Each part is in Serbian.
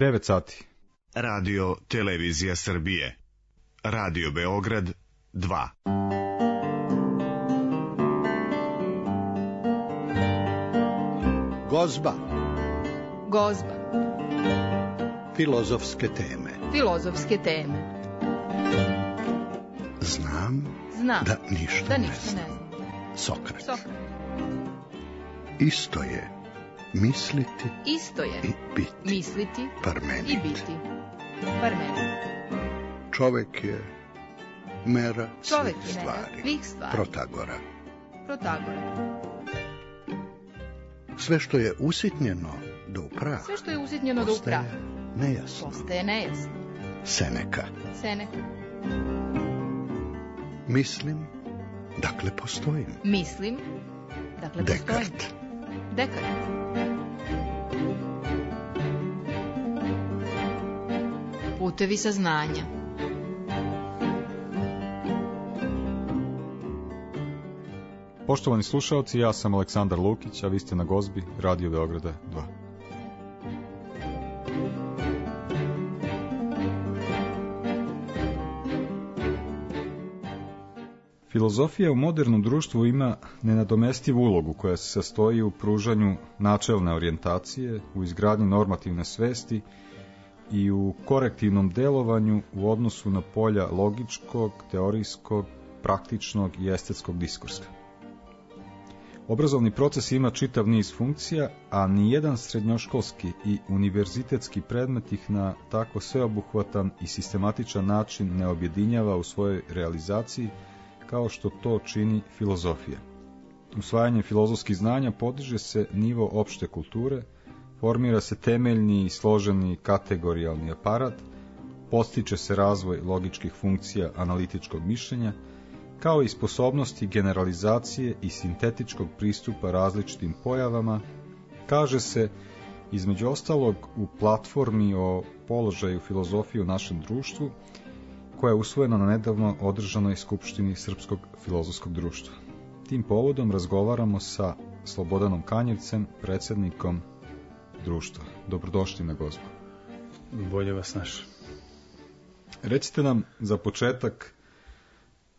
9 sati. Radio Televizija Srbije. Radio Beograd 2. Gozba. Gozba. Filozofske teme. Filozofske teme. Znam da ništa ne znam. Sokrat. Isto je misliti i biti. Misliti Parmenid. i biti. Parmenid. Čovek je mera Čovek svih je mera stvari. svih stvari. Protagora. Sve što je usitnjeno do upraha. Sve što je usitnjeno do upraha. Postaje nejasno. Seneka. Mislim, dakle postojim. Mislim, dakle postojim. Dekart. Putevi saznanja. Poštovani slušaoci, ja sam Aleksandar Lukić, a vi ste na Gozbi, Radio Beograda 2. Filozofija u modernom društvu ima nenadomestivu ulogu koja se sastoji u pružanju načelne orijentacije, u izgradnji normativne svesti i u korektivnom delovanju u odnosu na polja logičkog, teorijskog, praktičnog i estetskog diskursa. Obrazovni proces ima čitav niz funkcija, a nijedan srednjoškolski i univerzitetski predmet ih na tako sveobuhvatan i sistematičan način ne objedinjava u svojoj realizaciji kao što to čini filozofija. Usvajanjem filozofskih znanja podiže se nivo opšte kulture, formira se temeljni i složeni kategorijalni aparat, postiče se razvoj logičkih funkcija analitičkog mišljenja, kao i sposobnosti generalizacije i sintetičkog pristupa različitim pojavama, kaže se, između ostalog, u platformi o položaju filozofije u našem društvu, koja je usvojena na nedavno održanoj skupštini Srpskog filozofskog društva. Tim povodom razgovaramo sa Slobodanom Kanjevcem, predsjednikom društva. Dobrodošli na Gozbu. Bolje vas našao. Recite nam za početak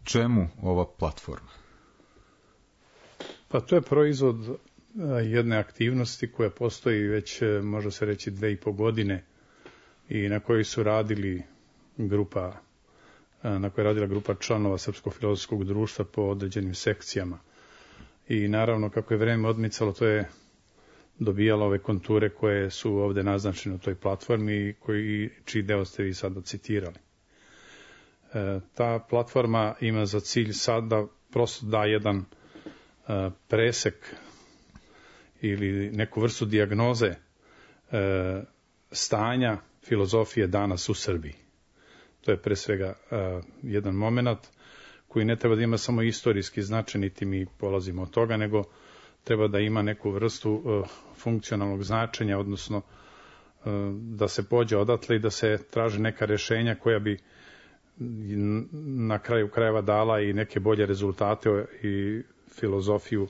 čemu ova platforma? Pa to je proizvod jedne aktivnosti koja postoji već, može se reći, 2,5 godine i na kojoj su radili na kojoj je radila grupa članova Srpskog filozofskog društva po određenim sekcijama. I naravno, kako je vreme odmicalo, to je dobijalo ove konture koje su ovde naznačene u toj platformi i čiji deo ste vi sada citirali. Ta platforma ima za cilj sad da prosto da jedan presek ili neku vrstu dijagnoze stanja filozofije danas u Srbiji. To je pre svega jedan moment koji ne treba da ima samo istorijski značaj, niti mi polazimo od toga, nego treba da ima neku vrstu funkcionalnog značenja, odnosno da se pođe odatle i da se traže neka rešenja koja bi na kraju krajeva dala i neke bolje rezultate i filozofiju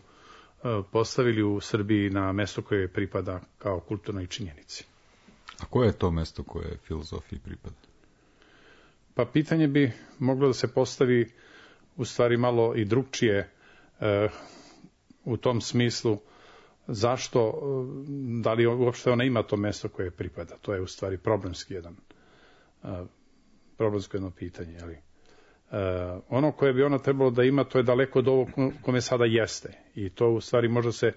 postavili u Srbiji na mesto koje pripada kao kulturnoj činjenici. A koje je to mesto koje filozofiji pripada? Pa pitanje bi moglo da se postavi u stvari malo i drugčije u tom smislu zašto, da li uopšte ona ima to mesto koje pripada. To je u stvari problemsko jedno pitanje. Ali, ono koje bi ona trebalo da ima, to je daleko od ovog kome sada jeste. I to u stvari može se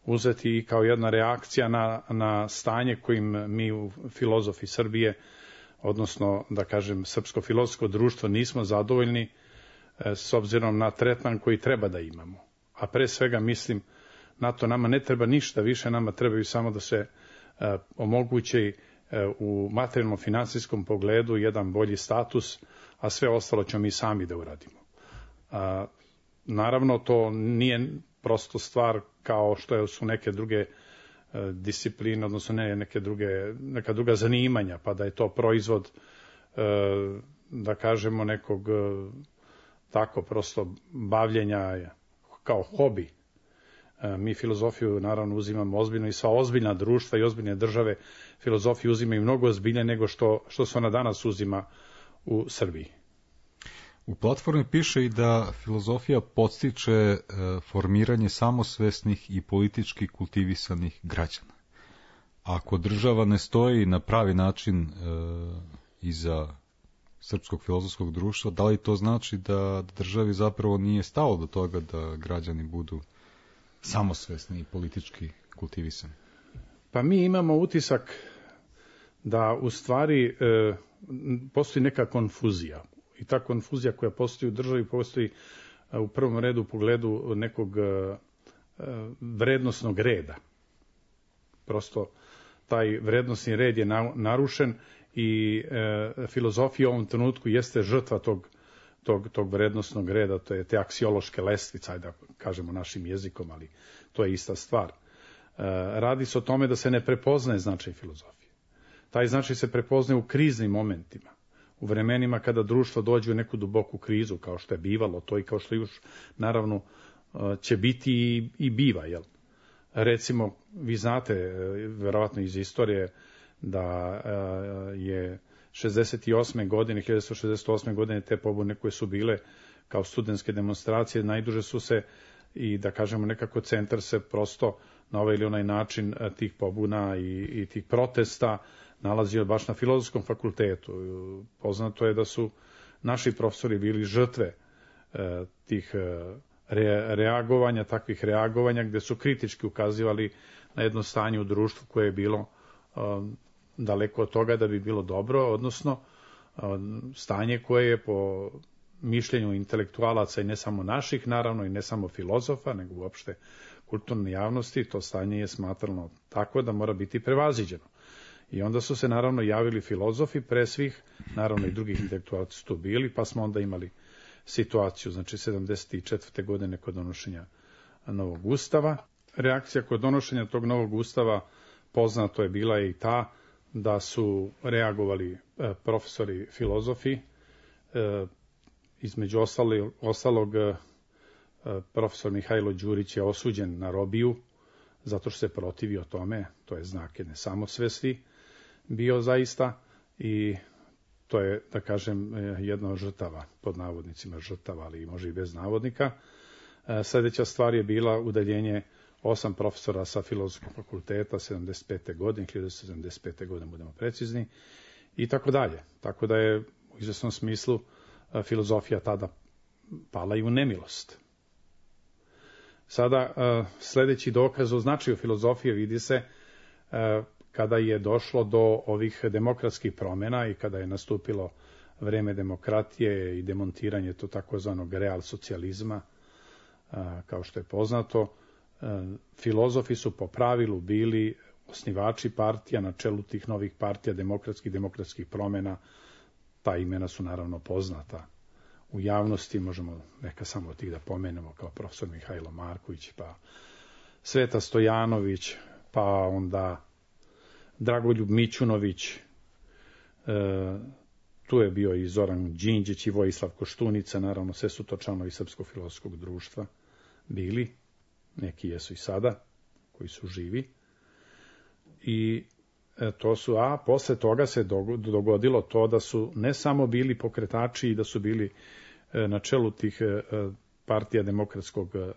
uzeti i kao jedna reakcija na stanje kojim mi u filozofi Srbije, odnosno, da kažem, Srpsko filozofsko društvo, nismo zadovoljni s obzirom na tretman koji treba da imamo. A pre svega mislim, na to nama ne treba ništa više, nama trebaju samo da se omogući u materijalno-finansijskom pogledu jedan bolji status, a sve ostalo ćemo mi sami da uradimo. Naravno, to nije prosto stvar kao što su neke druge discipline, odnosno neka druga zanimanja, pa da je to proizvod, da kažemo, nekog tako prosto bavljenja kao hobi. Mi filozofiju naravno uzimamo ozbiljno i sva ozbiljna društva i ozbiljne države filozofiju uzimaju mnogo ozbiljnije nego što se ona danas uzima u Srbiji. U platformi piše i da filozofija podstiče formiranje samosvesnih i politički kultivisanih građana. Ako država ne stoji na pravi način iza srpskog filozofskog društva, da li to znači da državi zapravo nije stalo do toga da građani budu samosvesni i politički kultivisani? Pa mi imamo utisak da u stvari postoji neka konfuzija. I ta konfuzija koja postoji u državi postoji u prvom redu u pogledu nekog vrednosnog reda. Prosto taj vrednosni red je narušen i filozofija u ovom trenutku jeste žrtva tog vrednosnog reda, to je te aksiološke lestvice, ajde da kažemo našim jezikom, ali to je ista stvar. Radi se o tome da se ne prepoznaje značaj filozofije. Taj značaj se prepoznaje u kriznim momentima, u vremenima kada društvo dođe u neku duboku krizu, kao što je bivalo to i kao što još naravno će biti i biva, jel? Recimo, vi znate, verovatno iz istorije, da je 1968. godine te pobune koje su bile kao studentske demonstracije, najduže su se i da kažemo nekako centar se prosto na ovaj ili onaj način tih pobuna i tih protesta nalazio baš na Filozofskom fakultetu. Poznato je da su naši profesori bili žrtve tih reagovanja, takvih reagovanja gde su kritički ukazivali na jedno stanje u društvu koje je bilo daleko od toga da bi bilo dobro, odnosno stanje koje je po mišljenju intelektualaca i ne samo naših, naravno i ne samo filozofa, nego uopšte kulturne javnosti, to stanje je smatrano tako da mora biti prevaziđeno. I onda su se naravno javili filozofi pre svih, naravno i drugih intelektualaca su tu bili, pa smo onda imali situaciju, znači 74. godine kod donošenja novog ustava. Reakcija kod donošenja tog novog ustava poznato je bila i ta da su reagovali profesori filozofi, između ostalog profesor Mihajlo Đurić je osuđen na robiju zato što se protivio tome, to je znak jedne samosvesti bio zaista i to je, da kažem, jedna od žrtava, pod navodnicima žrtava, ali može i bez navodnika. Sljedeća stvar je bila udaljenje 8 profesora sa Filozofskog fakulteta 75. godine, 1975. godine budemo precizni, i tako dalje. Tako da je u izvesnom smislu filozofija tada pala i u nemilost. Sada sljedeći dokaz o značaju filozofije vidi se kada je došlo do ovih demokratskih promjena i kada je nastupilo vreme demokratije i demontiranje to takozvanog real socijalizma, kao što je poznato. Filozofi su po pravilu bili osnivači partija na čelu tih novih partija demokratskih promjena. Ta imena su naravno poznata u javnosti, možemo neka samo od tih da pomenemo, kao profesor Mihajlo Marković, pa Sveta Stojanović, pa onda Dragoljub Mićunović, tu je bio i Zoran Đinđić i Vojislav Koštunica, naravno sve su to članovi Srpskog filozofskog društva bili, neki jesu i sada, koji su živi. I to su, a posle toga se dogodilo to da su ne samo bili pokretači i da su bili na čelu tih partija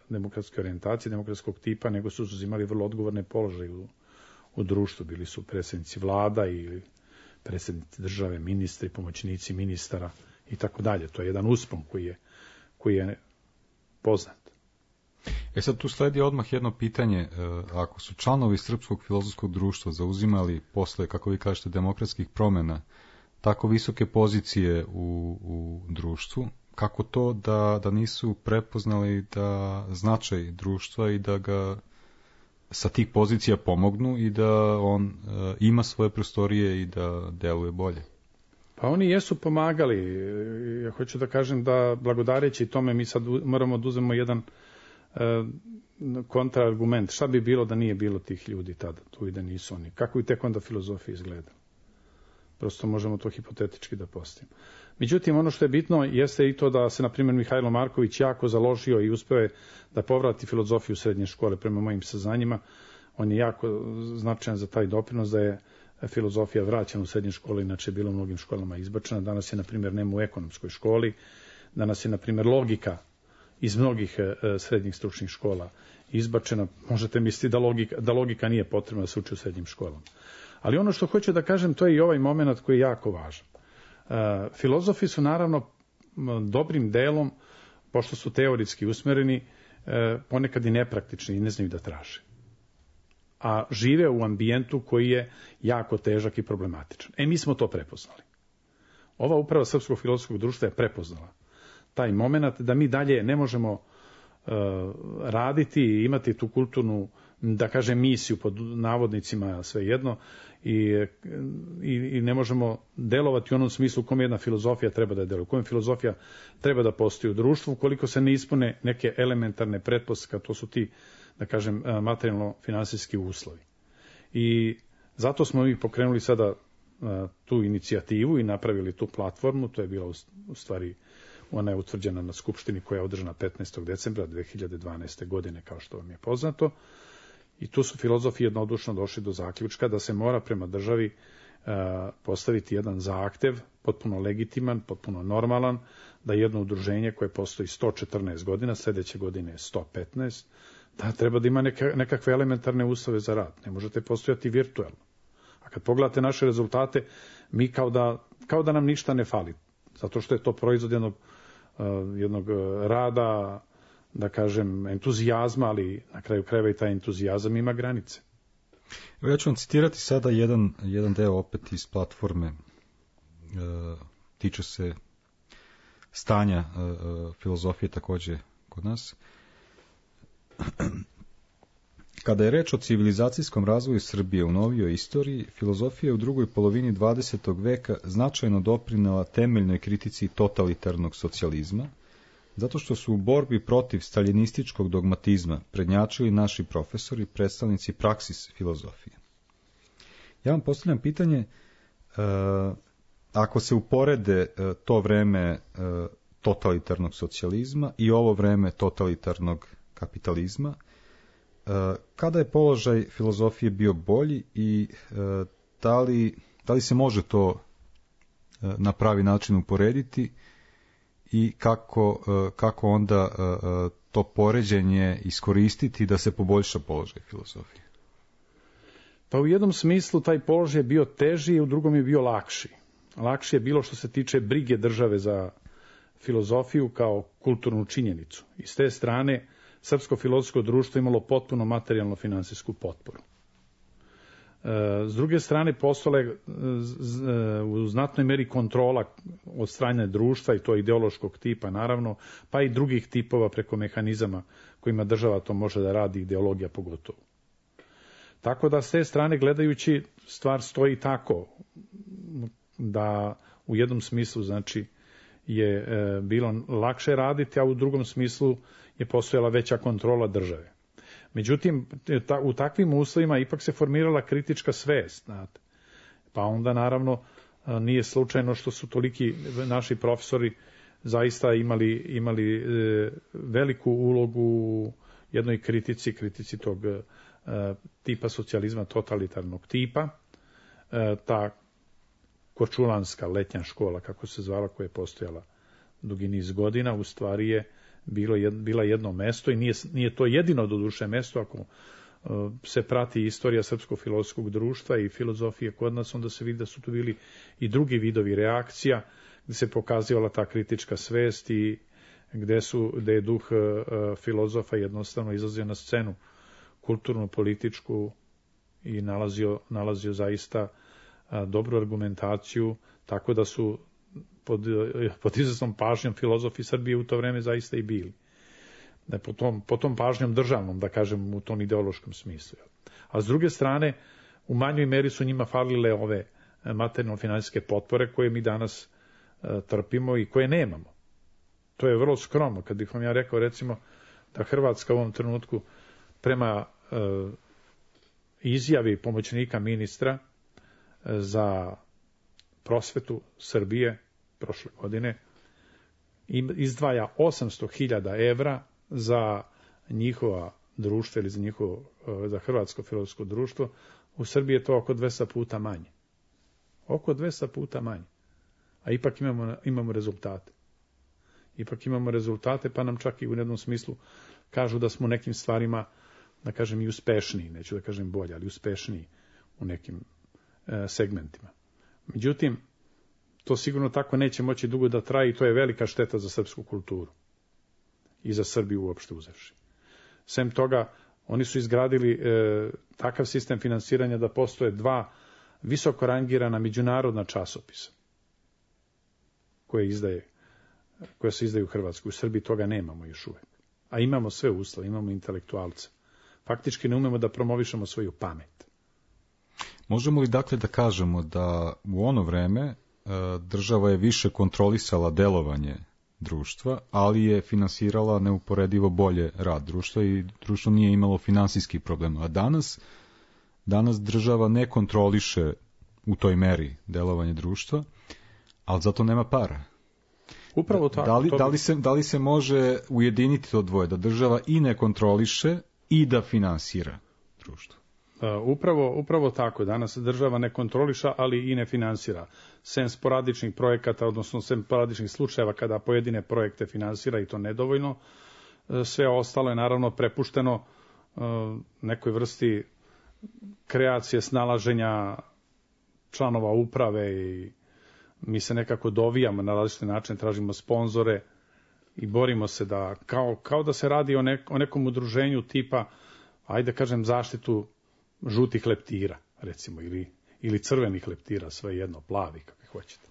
demokratske orijentacije, demokratskog tipa, nego su uzimali vrlo odgovorne položaje u društvu. Bili su predsjednici vlada ili predsjednici države, ministri, pomoćnici ministara i tako dalje. To je jedan uspon koji je poznat. Sad tu sledi odmah jedno pitanje. Ako su članovi Srpskog filozofskog društva zauzimali posle, kako vi kažete, demokratskih promjena tako visoke pozicije u društvu, kako to da nisu prepoznali da značaj društva i da ga sa tih pozicija pomognu i da on ima svoje prostorije i da deluje bolje? Pa oni jesu pomagali. Ja hoću da kažem da blagodareći tome mi sad moramo da uzmemo jedan kontraargument. Šta bi bilo da nije bilo tih ljudi tada tu i da nisu oni? Kako bi tek onda filozofija izgledala? Prosto možemo to hipotetički da postavimo. Međutim, ono što je bitno jeste i to da se, na primjer, Mihajlo Marković jako založio i uspeo je da povrati filozofiju srednje škole prema mojim saznanjima. On je jako značajan za taj doprinos da je filozofija vraćena u srednje škole, inače je bila u mnogim školama izbačena. Danas je, na primjer, nema u ekonomskoj školi. Danas je, na primjer, logika iz mnogih srednjih stručnih škola izbačena. Možete misliti da logika nije potrebna da se uči u srednjim školama. Ali ono što hoću da kažem, to je i ovaj moment koji je jako važan. Filozofi su naravno dobrim delom, pošto su teoretski usmereni, ponekad i nepraktični i ne znaju da traže. A žive u ambijentu koji je jako težak i problematičan. Mi smo to prepoznali. Ova uprava Srpskog filozofskog društva je prepoznala taj moment da mi dalje ne možemo raditi i imati tu kulturnu, da kažem, misiju pod navodnicima svejedno i ne možemo delovati u onom smislu u kojem jedna filozofija treba da deluje, u kojem filozofija treba da postoji u društvu, ukoliko se ne ispune neke elementarne pretpostavke, to su ti, da kažem, materijalno-finansijski uslovi. I zato smo mi pokrenuli sada tu inicijativu i napravili tu platformu. To je bila u stvari, ona je utvrđena na skupštini koja je održana 15. decembra 2012. godine, kao što vam je poznato. I tu su filozofi jednodušno došli do zaključka da se mora prema državi postaviti jedan zahtev, potpuno legitiman, potpuno normalan, da jedno udruženje koje postoji 114 godina, sljedeće godine je 115, da treba da ima nekakve elementarne uslove za rad. Ne možete postojati virtualno. A kad pogledate naše rezultate, mi kao da nam ništa ne fali. Zato što je to proizvod jednog rada, da kažem, entuzijazma, ali na kraju krajeva i taj entuzijazam ima granice. Ja ću vam citirati sada jedan deo opet iz platforme. Tiče se stanja filozofije također kod nas. Kada je reč o civilizacijskom razvoju Srbije u novijoj istoriji, filozofija je u drugoj polovini 20. veka značajno doprinela temeljnoj kritici totalitarnog socijalizma, zato što su u borbi protiv staljinističkog dogmatizma prednjačili naši profesori, predstavnici praksis filozofije. Ja vam postavljam pitanje, ako se uporede to vreme totalitarnog socijalizma i ovo vreme totalitarnog kapitalizma, kada je položaj filozofije bio bolji i da li se može to na pravi način uporediti i kako onda to poređenje iskoristiti da se poboljša položaj filozofije? Pa u jednom smislu taj položaj je bio teži, u drugom je bio lakši. Lakši je bilo što se tiče brige države za filozofiju kao kulturnu činjenicu. I s te strane Srpsko filozofsko društvo imalo potpuno materijalno-finansijsku potporu. S druge strane, postale u znatnoj meri kontrola od strane društva, i to ideološkog tipa naravno, pa i drugih tipova preko mehanizama kojima država to može da radi, ideologija pogotovo. Tako da s te strane gledajući stvar stoji tako da u jednom smislu znači je bilo lakše raditi, a u drugom smislu je postojala veća kontrola države. Međutim, u takvim uslovima ipak se formirala kritička svest. Znate. Pa onda naravno nije slučajno što su toliki naši profesori zaista imali veliku ulogu u jednoj kritici tog tipa socijalizma, totalitarnog tipa. Ta korčulanska letnja škola, kako se zvala, koja je postojala dugi niz godina, u stvari je bila jedno mesto i nije to jedino doduše mesto. Ako se prati istorija Srpskog filozofskog društva i filozofije kod nas, onda se vidi da su tu bili i drugi vidovi reakcija, gdje se pokazivala ta kritička svest i gdje je duh filozofa jednostavno izlazio na scenu kulturnu, političku i nalazio zaista dobru argumentaciju, tako da su pod izvesnom pažnjom filozofi Srbije u to vreme zaista i bili. Po tom pažnjom državnom, da kažem, u tom ideološkom smislu. A s druge strane, u manjoj meri su njima falile ove materijalno-finansijske potpore koje mi danas trpimo i koje nemamo. To je vrlo skromno. Kad bih vam ja rekao, recimo, da Hrvatska u ovom trenutku prema izjavi pomoćnika ministra za prosvetu Srbije prošle godine izdvaja 800.000 evra za njihova društva ili za Hrvatsko filozofsko društvo. U Srbiji je to oko 200 puta manje. Oko 200 puta manje. A ipak imamo rezultate. Ipak imamo rezultate, pa nam čak i u jednom smislu kažu da smo u nekim stvarima, da kažem, i uspešniji, neću da kažem bolje, ali uspešniji u nekim segmentima. Međutim, to sigurno tako neće moći dugo da traje i to je velika šteta za srpsku kulturu i za Srbiju uopšte uzevši. Sem toga, oni su izgradili takav sistem finansiranja da postoje 2 visoko rangirana međunarodna časopisa koje se izdaju u Hrvatskoj. U Srbiji toga nemamo još uvek. A imamo sve uslove, imamo intelektualce. Faktički ne umemo da promovišemo svoju pamet. Možemo li dakle da kažemo da u ono vreme država je više kontrolisala delovanje društva, ali je finansirala neuporedivo bolje rad društva i društvo nije imalo finansijskih problema. A danas država ne kontroliše u toj meri delovanje društva, ali zato nema para. Upravo tako. Da li se može ujediniti to dvoje, da država i ne kontroliše i da finansira društvo? Upravo tako. Danas država ne kontroliša, ali i ne finansira. Sem sporadičnih projekata, odnosno sem sporadičnih slučajeva kada pojedine projekte finansira i to nedovoljno, sve ostalo je naravno prepušteno nekoj vrsti kreacije, snalaženja članova uprave i mi se nekako dovijamo na različite načine, tražimo sponzore i borimo se da, kao da se radi o nekom udruženju tipa, ajde kažem, zaštitu žutih leptira, recimo, ili crvenih leptira, sve jedno, plavi, kako hoćete.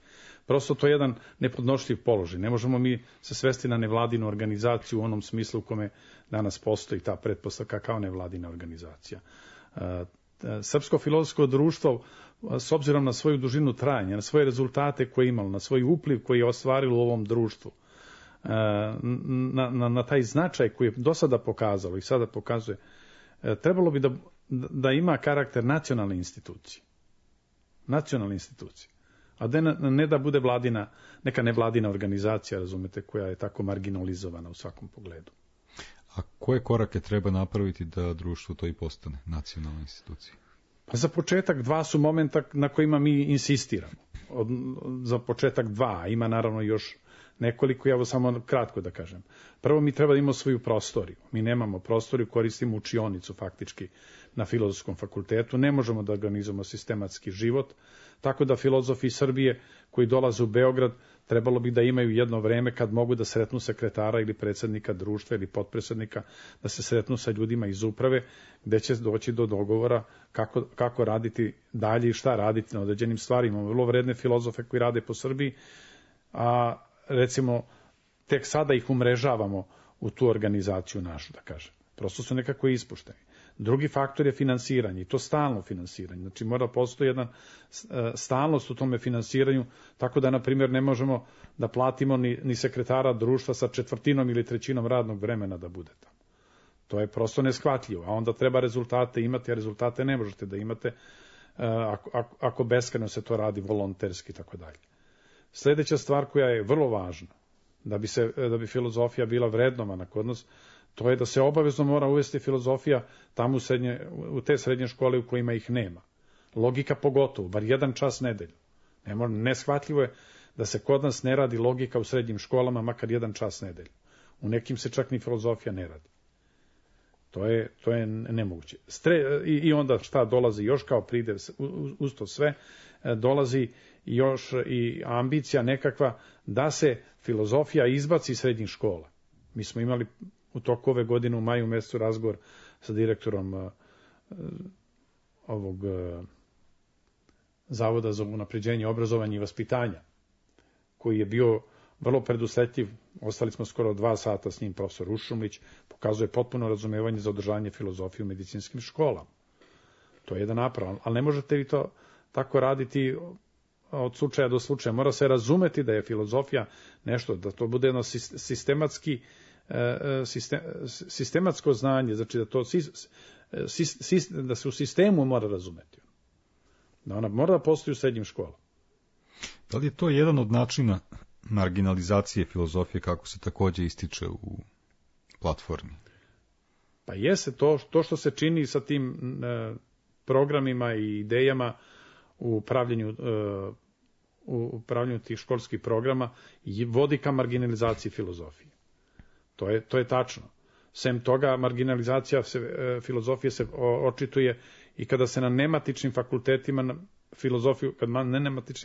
Prosto to je jedan nepodnošljiv položaj. Ne možemo mi se svesti na nevladinu organizaciju u onom smislu u kome danas postoji ta pretpostavka kao nevladina organizacija. Srpsko filozofsko društvo, s obzirom na svoju dužinu trajanja, na svoje rezultate koje je imalo, na svoj upliv koji je ostvarilo u ovom društvu, na taj značaj koji je do sada pokazalo i sada pokazuje, trebalo bi da ima karakter nacionalne institucije. Nacionalne institucije. A ne da bude neka nevladina organizacija, razumete, koja je tako marginalizovana u svakom pogledu. A koje korake treba napraviti da društvo to i postane nacionalna institucija? Pa za početak 2 su momenta na kojima mi insistiramo. Za početak 2, ima naravno još nekoliko, ja samo kratko da kažem. Prvo, mi treba da imamo svoju prostoriju. Mi nemamo prostoriju, koristimo učionicu faktički na Filozofskom fakultetu. Ne možemo da organizujemo sistematski život, tako da filozofi Srbije koji dolaze u Beograd trebalo bi da imaju jedno vreme kad mogu da sretnu sekretara ili predsjednika društva ili potpredsjednika, da se sretnu sa ljudima iz uprave, gde će doći do dogovora kako raditi dalje i šta raditi na određenim stvarima. Imamo vrlo vredne filozofe koji rade po Srbiji, a recimo tek sada ih umrežavamo u tu organizaciju našu, da kažem. Prosto su nekako ispušteni. Drugi faktor je finansiranje, i to stalno finansiranje. Znači mora postoji jedna stalnost u tome finansiranju, tako da, na primjer, ne možemo da platimo ni sekretara društva sa 1/4 ili 1/3 radnog vremena da bude tamo. To je prosto neshvatljivo, a onda treba rezultate imati, a rezultate ne možete da imate ako beskrajno se to radi volonterski i tako dalje. Sljedeća stvar koja je vrlo važna, da bi filozofija bila vrednovana kod nas, to je da se obavezno mora uvesti filozofija tamo u te srednje škole u kojima ih nema. Logika pogotovo, bar 1 čas nedeljno. Neshvatljivo je da se kod nas ne radi logika u srednjim školama, makar 1 čas nedeljno. U nekim se čak ni filozofija ne radi. To je nemoguće. I onda šta dolazi još kao pridev uz to sve, dolazi još i ambicija nekakva da se filozofija izbaci iz srednjih škola. Mi smo imali u toku ove godine u maju mjesecu razgovor sa direktorom ovog Zavoda za unapređenje obrazovanja i vaspitanja, koji je bio vrlo predusretljiv. Ostali smo skoro 2 sata s njim, profesor Ušumlić, pokazuje potpuno razumevanje za održanje filozofije u medicinskim školama. To je jedan naprav, ali ne možete vi to tako raditi od slučaja do slučaja. Mora se razumeti da je filozofija nešto, da to bude jedno sistematsko znanje, znači da se u sistemu mora razumeti. Da ona mora da postoji u srednjim školama. Da li je to jedan od načina marginalizacije filozofije kako se takođe ističe u platformi? Pa jeste to što se čini sa tim programima i idejama u pravljenju tih školskih programa i vodi ka marginalizaciji filozofije. To je tačno. Sem toga, marginalizacija filozofije se očituje i kada se na nematičnim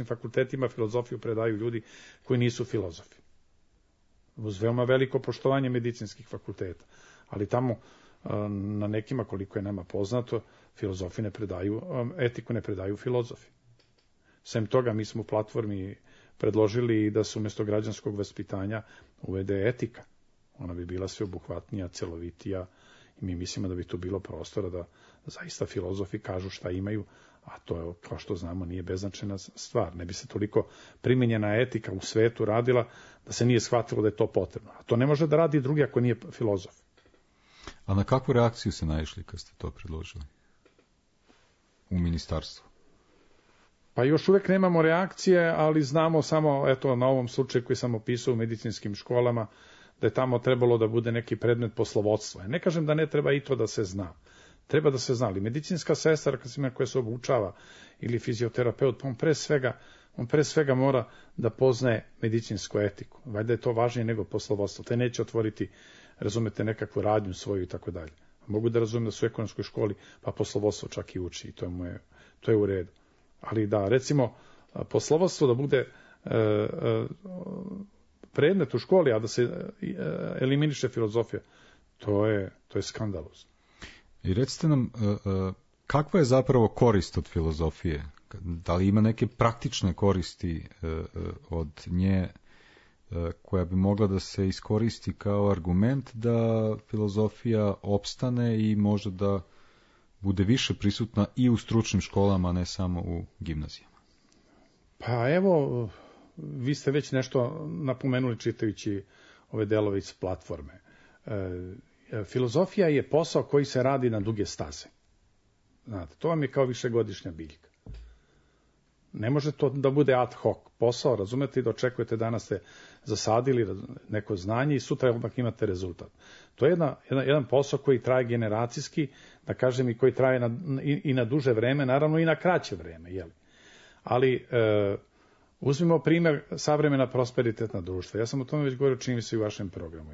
fakultetima filozofiju predaju ljudi koji nisu filozofi. Uz veoma veliko poštovanje medicinskih fakulteta. Ali tamo na nekima, koliko je nama poznato, filozofi ne predaju, etiku ne predaju filozofi. Sem toga, mi smo u platformi predložili da se umjesto građanskog vaspitanja uvede etika. Ona bi bila sveobuhvatnija, celovitija i mi mislimo da bi tu bilo prostora da zaista filozofi kažu šta imaju, a to je, kao što znamo, nije beznačajna stvar. Ne bi se toliko primenjena etika u svetu radila da se nije shvatilo da je to potrebno. A to ne može da radi drugi ako nije filozof. A na kakvu reakciju se naišli kad ste to predložili u ministarstvu? Pa još uvek nemamo reakcije, ali znamo samo, eto, na ovom slučaju koji sam opisao u medicinskim školama, da je tamo trebalo da bude neki predmet poslovodstva. Ne kažem da ne treba i to da se zna. Treba da se zna, ali medicinska sestra koja se obučava ili fizioterapeut, on pre svega mora da poznaje medicinsku etiku. Valjda je to važnije nego poslovodstvo. Te neće otvoriti, razumete, nekakvu radnju svoju i tako dalje. Mogu da razumem da su u ekonomskoj školi, pa poslovodstvo čak i uči i to je u redu. Ali da, recimo, poslovodstvo da bude predmet u školi, a da se eliminiše filozofija, to je skandalozno. I recite nam, kakva je zapravo korist od filozofije? Da li ima neke praktične koristi od nje koja bi mogla da se iskoristi kao argument da filozofija opstane i može da bude više prisutna i u stručnim školama, a ne samo u gimnazijama? Pa evo, vi ste već nešto napomenuli čitajući ove delove iz platforme. Filozofija je posao koji se radi na duge staze. Znate, to vam je kao višegodišnja biljka. Ne može to da bude ad hoc posao, razumete, i da očekujete danas ste zasadili neko znanje i sutra odmah imate rezultat. To je jedan posao koji traje generacijski, da kažem, i koji traje i na duže vreme, naravno i na kraće vreme. Jeli? Ali uzmimo primjer savremena prosperitetna društva. Ja sam o tome već govorio, čini mi se i u vašem programu.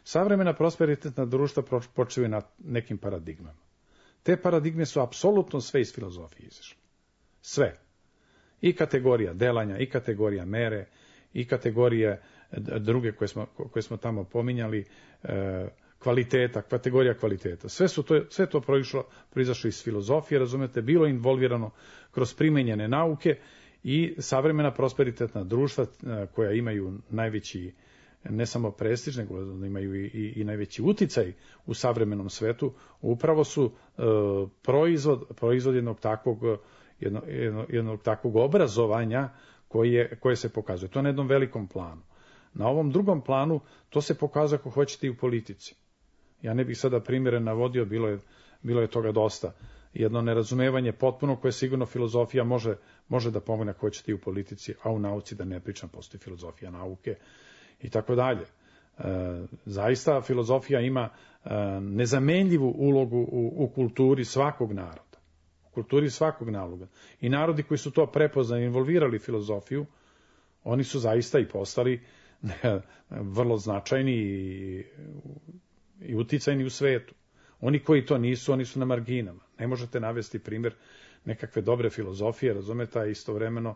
Savremena prosperitetna društva počivaju na nekim paradigmama. Te paradigme su apsolutno sve iz filozofije izašle. Sve. I kategorija delanja, i kategorija mere, i kategorije druge koje smo tamo pominjali, kategorija kvaliteta. Sve to proizašlo iz filozofije, razumete, bilo involvirano kroz primenjene nauke i savremena prosperitetna društva koja imaju najveći, ne samo prestiž, nego da imaju i najveći uticaj u savremenom svetu, upravo su proizvod jednog takvog obrazovanja koje se pokazuje. To je na jednom velikom planu. Na ovom drugom planu to se pokazuje, ako hoćete, i u politici. Ja ne bih sada primjere navodio, bilo je toga dosta. Jedno nerazumevanje potpuno koje sigurno filozofija može da pomogne, ako hoćete, i u politici, a u nauci da ne pričam, postoji filozofija nauke i tako dalje. Zaista filozofija ima nezamenljivu ulogu u kulturi svakog naroda. U kulturi svakog naroda. I narodi koji su to prepoznali i involvirali filozofiju, oni su zaista i postali vrlo značajni i uticajni u svetu. Oni koji to nisu, oni su na marginama. Ne možete navesti primjer nekakve dobre filozofije, razumete, a istovremeno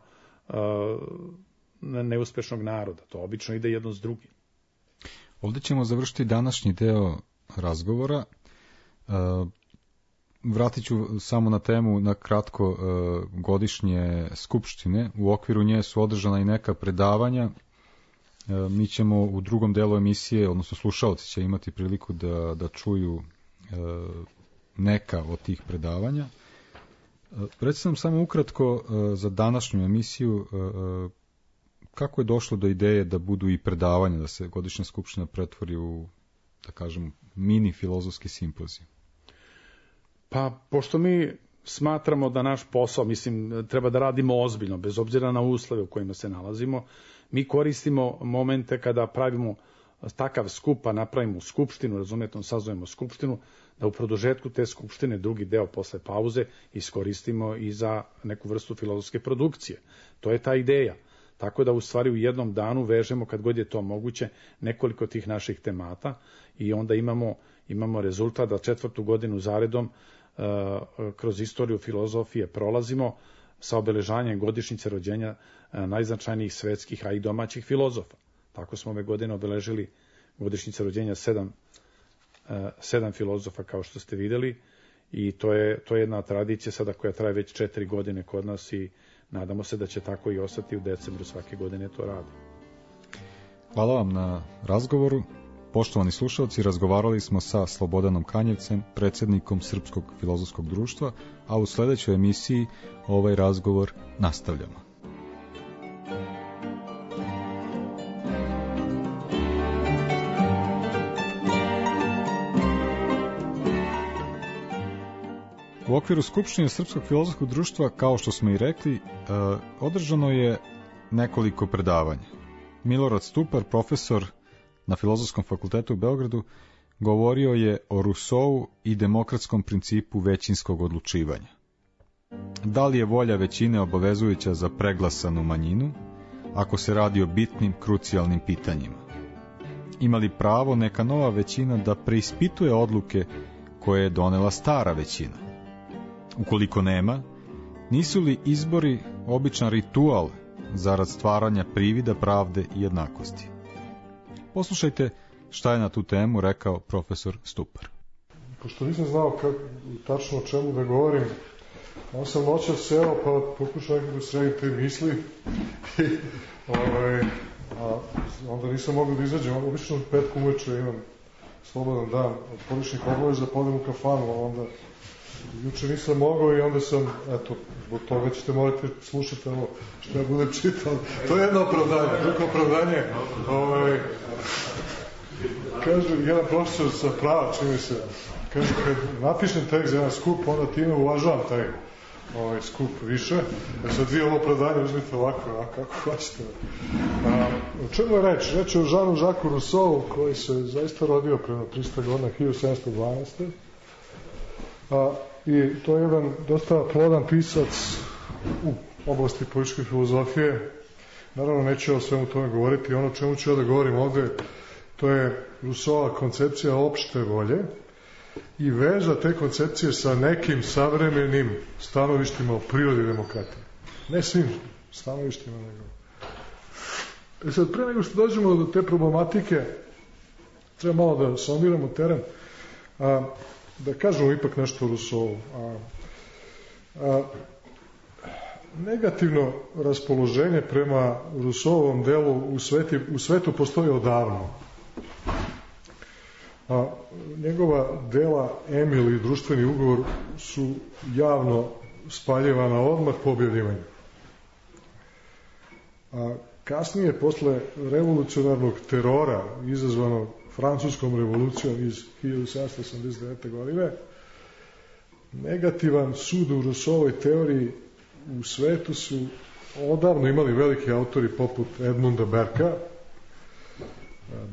neuspešnog naroda. To obično ide jedno s drugim. Ovdje ćemo završiti današnji deo razgovora. Vratit ću samo na temu na kratko godišnje skupštine. U okviru nje su održana i neka predavanja. Mi ćemo u drugom delu emisije, odnosno slušalci će imati priliku da čuju neka od tih predavanja. Recite nam samo ukratko za današnju emisiju kako je došlo do ideje da budu i predavanja, da se godišnja skupština pretvori u, da kažem, mini filozofski simpozij? Pa, pošto mi smatramo da naš posao, mislim, treba da radimo ozbiljno, bez obzira na uslove u kojima se nalazimo. Mi koristimo momente kada pravimo takav skup, pa napravimo skupštinu, razumete, sazovemo skupštinu, da u produžetku te skupštine, drugi deo posle pauze, iskoristimo i za neku vrstu filozofske produkcije. To je ta ideja. Tako da u stvari u jednom danu vežemo, kad god je to moguće, nekoliko tih naših temata i onda imamo rezultat da 4. godinu zaredom kroz istoriju filozofije prolazimo sa obeležanjem godišnjice rođenja najznačajnijih svetskih, a i domaćih filozofa. Tako smo ove godine obeležili godišnjice rođenja 7 filozofa, kao što ste videli, i to je jedna tradicija sada koja traje već 4 godine kod nas i nadamo se da će tako i ostati u decembru svake godine to radi. Hvala vam na razgovoru. Poštovani slušalci, razgovarali smo sa Slobodanom Kanjevcem, predsjednikom Srpskog filozofskog društva, a u sledećoj emisiji ovaj razgovor nastavljamo. U okviru Skupštine Srpskog filozofskog društva, kao što smo i rekli, održano je nekoliko predavanja. Milorad Stupar, profesor na Filozofskom fakultetu u Beogradu, govorio je o Rousseau i demokratskom principu većinskog odlučivanja. Da li je volja većine obavezujuća za preglasanu manjinu, ako se radi o bitnim, krucijalnim pitanjima? Ima li pravo neka nova većina da preispituje odluke koje je donela stara većina? Ukoliko nema, nisu li izbori običan ritual zarad stvaranja privida pravde i jednakosti? Poslušajte šta je na tu temu rekao profesor Stupar. Pošto nisam znao tačno o čemu da govorim, on sam noćas seo pa pokušao da sredim te misli i onda nisam mogao da izađem. Obično petkom uveče imam slobodan dan od poličnih obaveza, podem u kafanu, a onda juče nisam mogao i onda sam, eto, zbog toga ćete morati slušati ovo što ja budem čitao. To je jedno opravdanje. Drugo opravdanje, kaže, jedan profesor sa prava, čini se, kaže, kad napišem tekst za jedan skup, onda time uvažavam taj skup više. Sad vi ovo opravdanje uzmite ovako, kako hoćete. O čemu je reč? Reč je o Jeanu-Jacques Rousseau, koji se zaista rodio prema 300 godina, 1712. I to je jedan dosta plodan pisac u oblasti političke filozofije. Naravno, neću o svemu tome govoriti. Ono čemu ću ja da govorim ovde, to je Rousseauova koncepcija opšte volje i veza te koncepcije sa nekim savremenim stanovištima o prirodi demokratije. Ne svim stanovištima, nego. Sad, pre nego što dođemo do te problematike, treba malo da sondiramo teren, da kažemo ipak nešto o Rousseau. Negativno raspoloženje prema Rousseauovom delu u svetu postoji odavno. Njegova dela Emil i društveni ugovor su javno spaljivana odmah po objavljivanju. Kasnije, posle revolucionarnog terora izazvanog Francuskom revolucijom iz 1789. godine, negativan sud u Rousseauovoj teoriji u svetu su odavno imali veliki autori poput Edmunda Berka,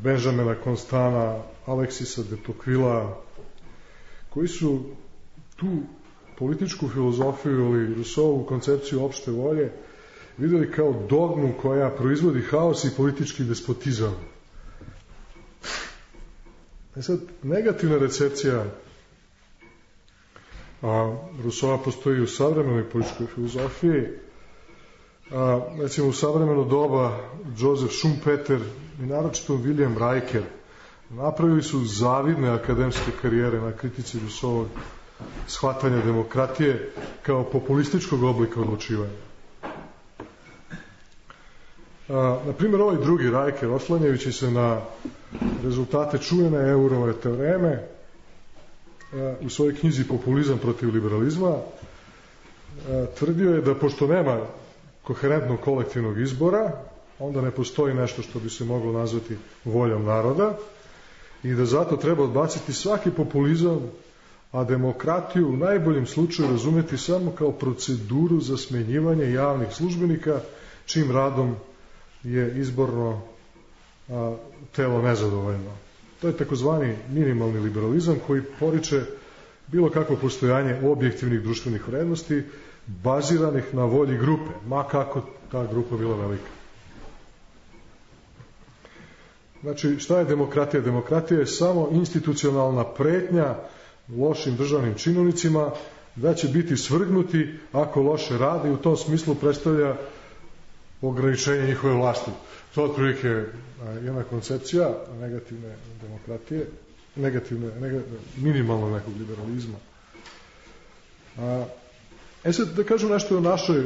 Benjamina Constana, Alexisa de Tocqueville, koji su tu političku filozofiju ili Rousseauovu koncepciju opšte volje videli kao dogmu koja proizvodi haos i politički despotizam. Sad, negativna recepcija Rousseaua postoji u savremenoj političkoj filozofiji. Recimo, u savremeno doba Joseph Schumpeter i naročito William Riker napravili su zavidne akademske karijere na kritici Rousseauovog shvatanja demokratije kao populističkog oblika odlučivanja. Na primjer, ovaj drugi Riker, oslanjajući se na rezultate čuvene Eurove teoreme, u svojoj knjizi Populizam protiv liberalizma, tvrdio je da pošto nema koherentnog kolektivnog izbora, onda ne postoji nešto što bi se moglo nazvati voljom naroda i da zato treba odbaciti svaki populizam, a demokratiju u najboljem slučaju razumeti samo kao proceduru za smenjivanje javnih službenika, čim radom je izborno telo nezadovoljno. To je takozvani minimalni liberalizam koji poriče bilo kakvo postojanje objektivnih društvenih vrednosti baziranih na volji grupe, ma kako ta grupa bila velika. Znači, šta je demokratija? Demokratija je samo institucionalna pretnja lošim državnim činovnicima da će biti svrgnuti ako loše rade i u tom smislu predstavlja ograničenje njihove vlasti. To je otprilike jedna koncepcija negativne demokratije, minimalnog nekog liberalizma. Sad da kažem nešto o našoj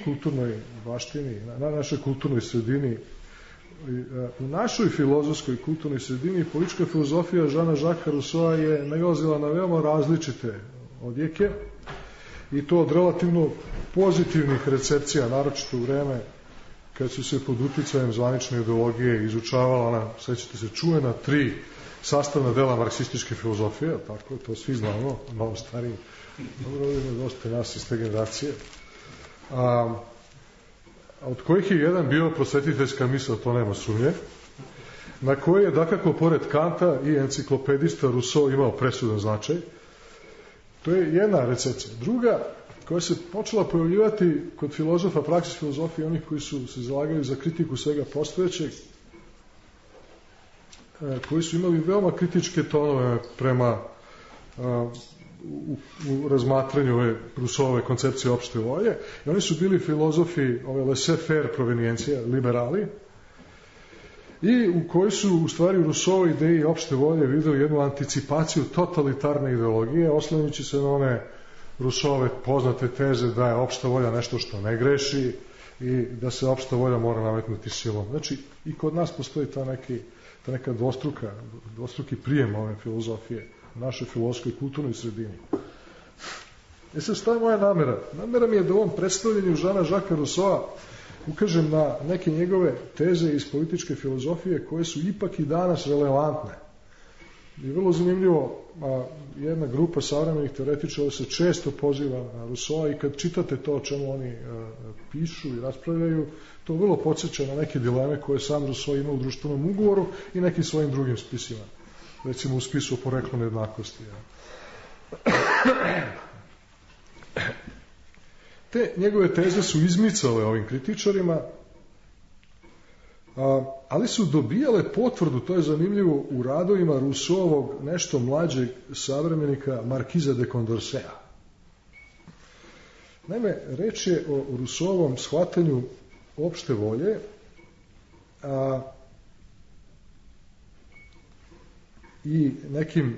kulturnoj baštini, na našoj kulturnoj sredini. U našoj filozofskoj kulturnoj sredini politička filozofija Žana Žaka Rusoa je nailazila na veoma različite odjeke i to od relativno pozitivnih recepcija, naročito u vreme kad su se pod uticajem zvanične ideologije izučavala ona, sećate se, čuvena 3 sastavna dela marksističke filozofije, tako, to svi znamo, malo stariji, dobro, ovdje je dosta nas iz te generacije, od kojih je jedan bio prosvetiteljska misao, to nema sumnje, na koji je, dakako, pored Kanta i enciklopedista Rousseau imao presudan značaj. To je jedna recepcija. Druga, koja se počela pojavljivati kod filozofa, praksis filozofije, onih koji su se zalagali za kritiku svega postojećeg, koji su imali veoma kritičke tonove prema u razmatranju ove Rousseauove koncepcije opšte volje, i oni su bili filozofi ove laissez-faire provenijencije, liberali, i u kojoj su u stvari u Rousseauovoj ideji opšte volje videli jednu anticipaciju totalitarne ideologije, oslanjajući se na one Rousseauove poznate teze da je opšta volja nešto što ne greši i da se opšta volja mora nametnuti silom. Znači, i kod nas postoji ta neka dvostruki prijem ove filozofije u našoj filozofskoj kulturnoj sredini. Sad, šta je moja namera? Namera mi je da u ovom predstavljanju Žana Žaka Rousseaua ukažem na neke njegove teze iz političke filozofije koje su ipak i danas relevantne. I vrlo zanimljivo, jedna grupa savremenih teoretičara se često poziva na Rousseaua i kad čitate to o čemu oni pišu i raspravljaju, to vrlo podsjeća na neke dileme koje sam Rousseau ima u društvenom ugovoru i nekim svojim drugim spisima. Recimo u spisu o poreklu nejednakosti. Te njegove teze su izmicale ovim kritičarima, ali su dobijale potvrdu, to je zanimljivo, u radovima Rousseauovog nešto mlađeg savremenika Markiza de Condorceta. Naime, reč je o Rousseauovom shvatanju opšte volje, i nekim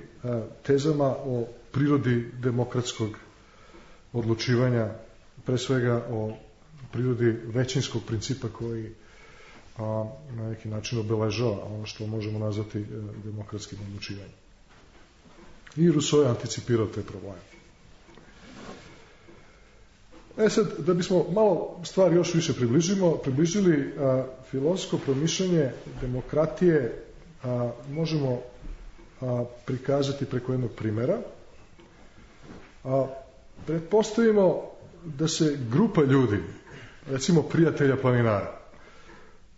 tezama o prirodi demokratskog odlučivanja, pre svega o prirodi većinskog principa koji na neki način obeležava ono što možemo nazvati demokratskim odlučivanjem. I Rousseau je anticipirao te probleme. Sad, da bismo malo stvari još više približili filozofsko promišljanje demokratije možemo prikazati preko jednog primera. Pretpostavimo da se grupa ljudi, recimo prijatelja planinara,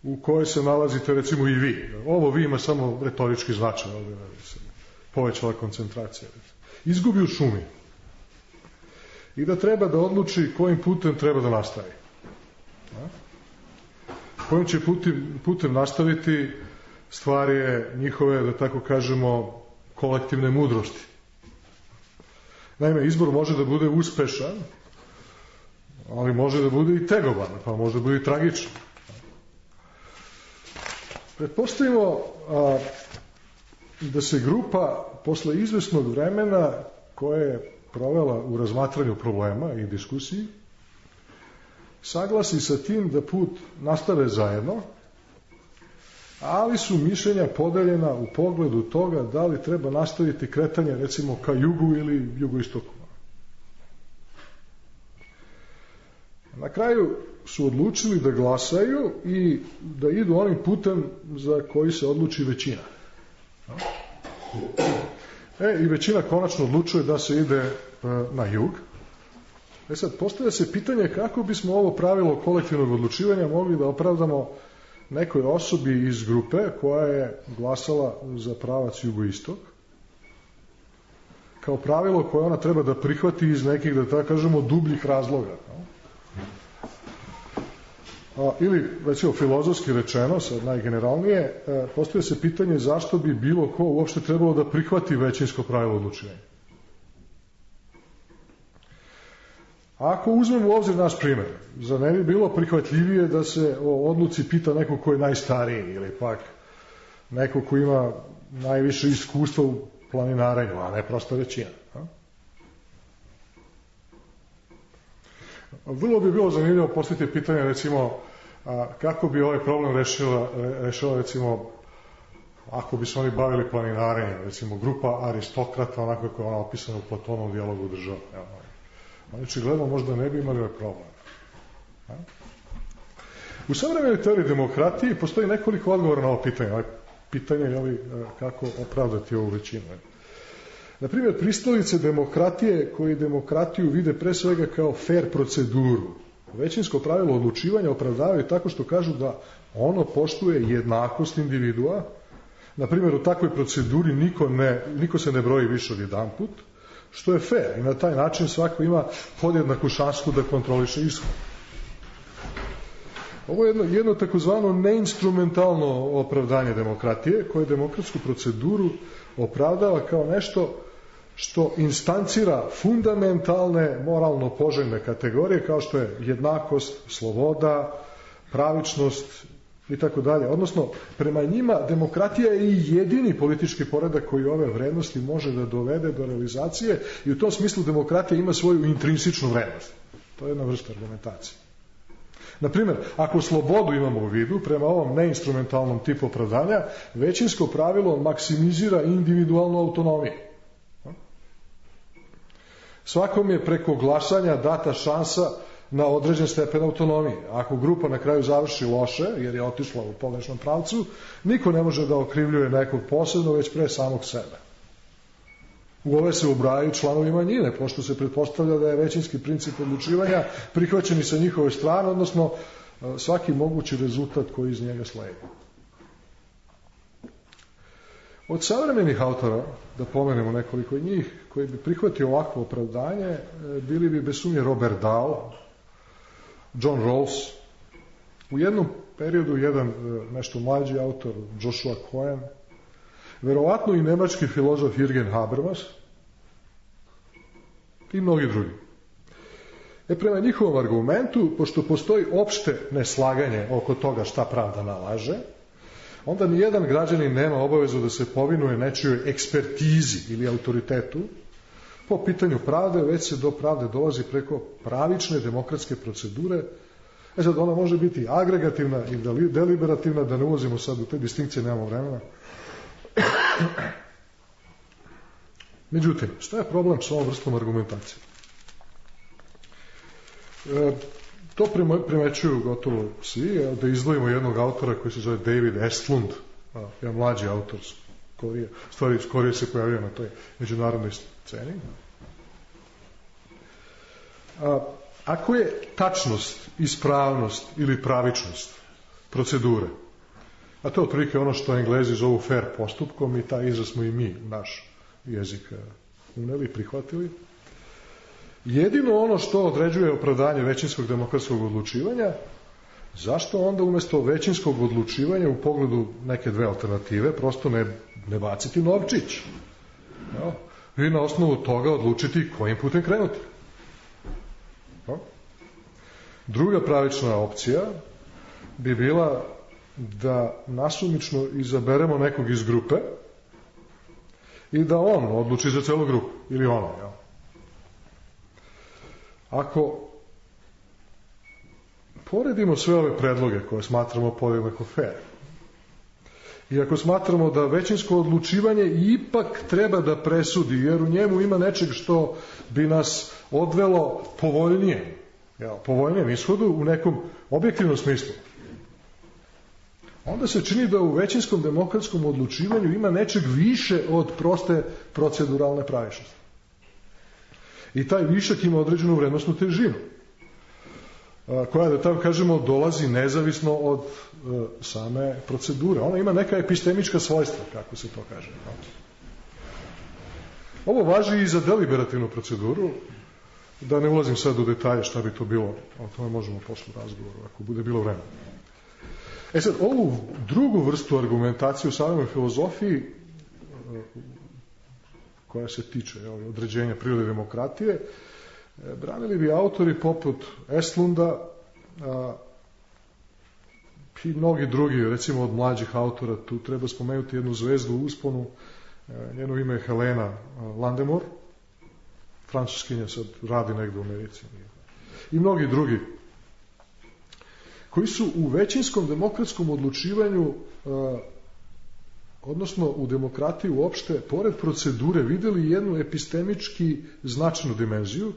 u kojoj se nalazite recimo i vi. Ovo vi ima samo retorički značaj, ovdje se povećala koncentracija. Izgubi u šumi i da treba da odluči kojim putem treba da nastavi. Kojim će putem nastaviti stvar je njihove, da tako kažemo, kolektivne mudrosti. Naime, izbor može da bude uspešan, ali može da bude i tegoban, pa može da bude i tragičan. Pretpostavimo da se grupa posle izvesnog vremena koje je provela u razmatranju problema i diskusiji saglasi sa tim da put nastave zajedno, ali su mišljenja podeljena u pogledu toga da li treba nastaviti kretanje recimo ka jugu ili jugoistoku. Na kraju su odlučili da glasaju i da idu onim putem za koji se odluči većina. I većina konačno odlučuje da se ide na jug. Sad, postavlja se pitanje kako bismo ovo pravilo kolektivnog odlučivanja mogli da opravdamo nekoj osobi iz grupe koja je glasala za pravac jugoistok, kao pravilo koje ona treba da prihvati iz nekih, da tako kažemo, dubljih razloga. Ili, recimo, filozofski rečeno, sad najgeneralnije, postavlja se pitanje zašto bi bilo ko uopšte trebalo da prihvati većinsko pravilo odlučivanja. Ako uzmemo u obzir naš primjer, za ne bi bilo prihvatljivije da se o odluci pita neko ko je najstariji ili pak neko ko ima najviše iskustva u planinarenju, a ne prosta većina. Vrlo bi bilo zanimljivo postaviti pitanje, recimo, kako bi ovaj problem rešila, recimo, ako bi se oni bavili planinarenjem, recimo, grupa aristokrata, onako kako je ona opisana u Platonovom dijalogu država. Znači, gledamo, možda ne bi imali ovaj problem. U savremenoj teoriji demokratiji postoji nekoliko odgovora na ovo pitanje. Pitanje je kako opravdati ovu većinu. Naprimjer, pristalice demokratije koji demokratiju vide pre svega kao fair proceduru. Većinsko pravilo odlučivanja opravdavaju tako što kažu da ono poštuje jednakost individua. Naprimjer, u takvoj proceduri niko se ne broji više od jedan put, što je fair i na taj način svako ima podjednaku šansu da kontroliše ishod. Ovo je jedno takozvano neinstrumentalno opravdanje demokratije koje demokratsku proceduru opravdava kao nešto što instancira fundamentalne moralno poželjne kategorije kao što je jednakost, sloboda, pravičnost i tako dalje. Odnosno, prema njima demokratija je i jedini politički poredak koji ove vrednosti može da dovede do realizacije i u tom smislu demokratija ima svoju intrinsičnu vrednost. To je jedna vrsta argumentacije. Naprimjer, ako slobodu imamo u vidu, prema ovom neinstrumentalnom tipu opravdanja, većinsko pravilo maksimizira individualnu autonomiju. Svakom je preko glasanja data šansa na određen stepen autonomije. Ako grupa na kraju završi loše, jer je otišla u pogrešnom pravcu, niko ne može da okrivljuje nekog posebno, već pre samog sebe. U ove se ubrajaju članovi manjine, pošto se pretpostavlja da je većinski princip odlučivanja prihvaćen i sa njihove strane, odnosno svaki mogući rezultat koji iz njega sledi. Od savremenih autora, da pomenemo nekoliko njih, koji bi prihvatio ovakvo opravdanje, bili bi bez sumnje Robert Dahl, John Rawls, u jednom periodu jedan nešto mlađi autor Joshua Cohen, verovatno i nemački filozof Jürgen Habermas i mnogi drugi. Prema njihovom argumentu, pošto postoji opšte neslaganje oko toga šta pravda nalaže, onda nijedan građanin nema obavezu da se povinuje nečijoj ekspertizi ili autoritetu po pitanju pravde, već se do pravde dolazi preko pravične demokratske procedure. Sad ona može biti agregativna i deliberativna, da ne ulazimo sad u te distinkcije, nemamo vremena. Međutim, šta je problem s ovom vrstom argumentacije? To primećuju gotovo svi, da izdvojimo jednog autora koji se zove David Estlund, jedan mlađi autor, skorije se pojavio na toj međunarodnoj sceni. Ako je tačnost, ispravnost ili pravičnost procedure, a to je otprilike ono što Englezi zovu fair postupkom i taj izraz smo i mi u naš jezik uneli i prihvatili, jedino ono što određuje opravdanje većinskog demokratskog odlučivanja, zašto onda umjesto većinskog odlučivanja u pogledu neke dve alternative prosto ne baciti novčić? I na osnovu toga odlučiti kojim putem krenuti. Druga pravična opcija bi bila da nasumično izaberemo nekog iz grupe i da on odluči za celu grupu, ili ona. Ako poredimo sve ove predloge koje smatramo podjednako fair i ako smatramo da većinsko odlučivanje ipak treba da presudi, jer u njemu ima nečeg što bi nas odvelo povoljnijem ishodu u nekom objektivnom smislu, onda se čini da u većinskom demokratskom odlučivanju ima nečeg više od proste proceduralne pravičnosti. I taj višak ima određenu vrednostnu težinu, koja, da tako kažemo, dolazi nezavisno od same procedure. Ona ima neka epistemička svojstva, kako se to kaže. Ovo važi i za deliberativnu proceduru, da ne ulazim sad u detalje šta bi to bilo, o tome možemo posle razgovoru, ako bude bilo vremena. Sad, ovu drugu vrstu argumentacije u savremenoj filozofiji, koja se tiče određenja prirode demokratije, branili bi autori poput Eslunda i mnogi drugi, recimo od mlađih autora, tu treba spomenuti jednu zvezdu u usponu, njeno ime je Helena Landemore, francuskinja, sad radi negde u Americi, i mnogi drugi, koji su u većinskom demokratskom odlučivanju, odnosno u demokratiji uopšte, pored procedure, videli jednu epistemički značajnu dimenziju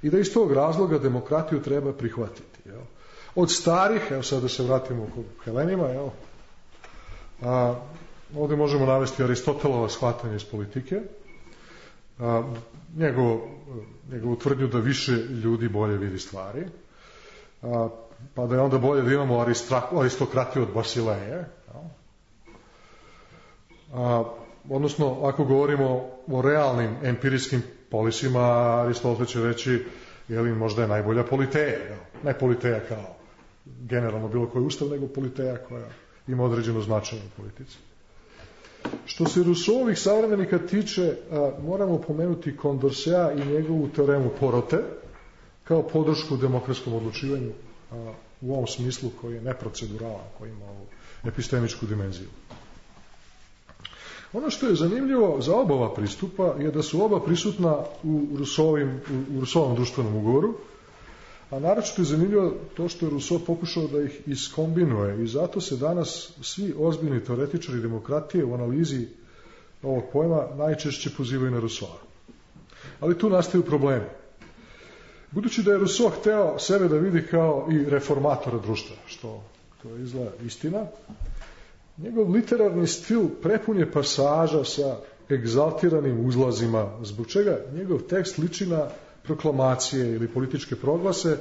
i da iz tog razloga demokratiju treba prihvatiti. Jel? Od starih, evo sad da se vratimo kod Helenima, jel? Ovde možemo navesti Aristotelova shvatanje iz politike, njegovu tvrdnju da više ljudi bolje vidi stvari, pa da je onda bolje da imamo aristokratiju od Basileje. Odnosno, ako govorimo o realnim empirijskim polisima, Aristotel će reći, možda je najbolja politeja. Ne politeja kao generalno bilo koji ustav, nego politeja koja ima određeno značenje u politici. Što se Rousseauovih savremenika tiče, moramo pomenuti Condorceta i njegovu teoremu Porote kao podršku demokratskom odlučivanju u ovom smislu koji je neproceduralan, koji ima ovu epistemičku dimenziju. Ono što je zanimljivo za oba ova pristupa je da su oba prisutna u Rousseauovom društvenom ugovoru, a naročito je zanimljivo to što je Rousseau pokušao da ih iskombinuje i zato se danas svi ozbiljni teoretičari demokratije u analizi ovog pojma najčešće pozivaju na Rousseau. Ali tu nastaju problemi. Budući da je Rousseau hteo sebe da vidi kao i reformatora društva, što to je izgleda istina, njegov literarni stil prepun je pasaža sa egzaltiranim uzlazima, zbog čega njegov tekst liči na proklamacije ili političke proglase,